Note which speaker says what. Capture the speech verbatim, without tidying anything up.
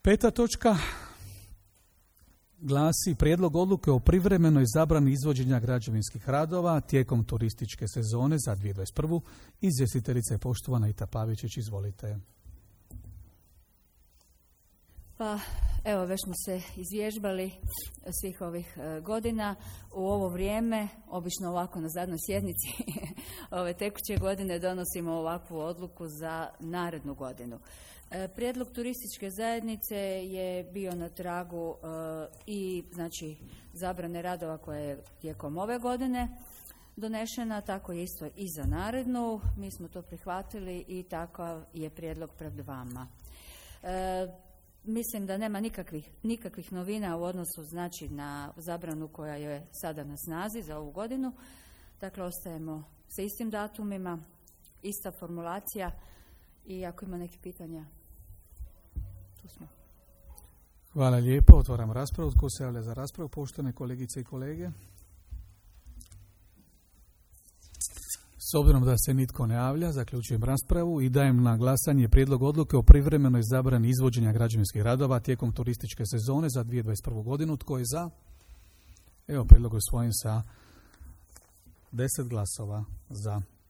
Speaker 1: Peta točka glasi prijedlog odluke o privremenoj zabrani izvođenja građevinskih radova tijekom turističke sezone za dvije tisuće dvadeset prvu. Izvjestiteljica je poštovana Ita Pavičić, izvolite.
Speaker 2: Pa evo, već smo se izvježbali svih ovih e, godina. U ovo vrijeme, obično ovako na zadnjoj sjednici ove tekuće godine, donosimo ovakvu odluku za narednu godinu. E, prijedlog turističke zajednice je bio na tragu e, i znači zabrane radova koje je tijekom ove godine donešena, tako je isto i za narednu. Mi smo to prihvatili i takav je prijedlog pred vama. E, Mislim da nema nikakvih, nikakvih novina u odnosu znači na zabranu koja je sada na snazi za ovu godinu. Dakle, ostajemo sa istim datumima, ista formulacija i ako ima neke pitanja, tu smo.
Speaker 1: Hvala lijepo. Otvaram raspravu. Tko se javlja za raspravu? Poštovane kolegice i kolege. S obzirom da se nitko ne javlja, zaključujem raspravu i dajem na glasanje prijedlog odluke o privremenoj zabrani izvođenja građevinskih radova tijekom turističke sezone za dvije tisuće dvadeset prvu godinu. Tko je za? Evo, prijedlog je usvojen sa deset glasova za.